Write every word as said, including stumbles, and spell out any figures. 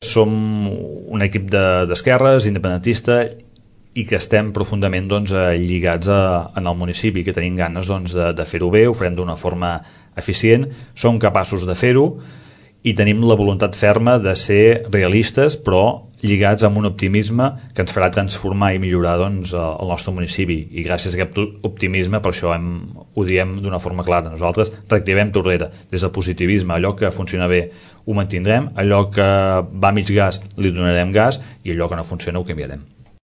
Som un equip d'esquerres, independentista, i que estem profundament doncs, lligats a, en el municipi, que tenim ganes doncs, de, de fer-ho bé, ho farem d'una forma eficient, som capaços de fer-ho i tenim la voluntat ferma de ser realistes, però lligats amb un optimisme que ens farà transformar i millorar doncs, el nostre municipi. I gràcies a aquest optimisme, per això hem, ho diem d'una forma clara. Nosaltres reactivem Tordera des del positivisme. Allò que funciona bé ho mantindrem, allò que va a mig gas li donarem gas i allò que no funciona ho canviarem.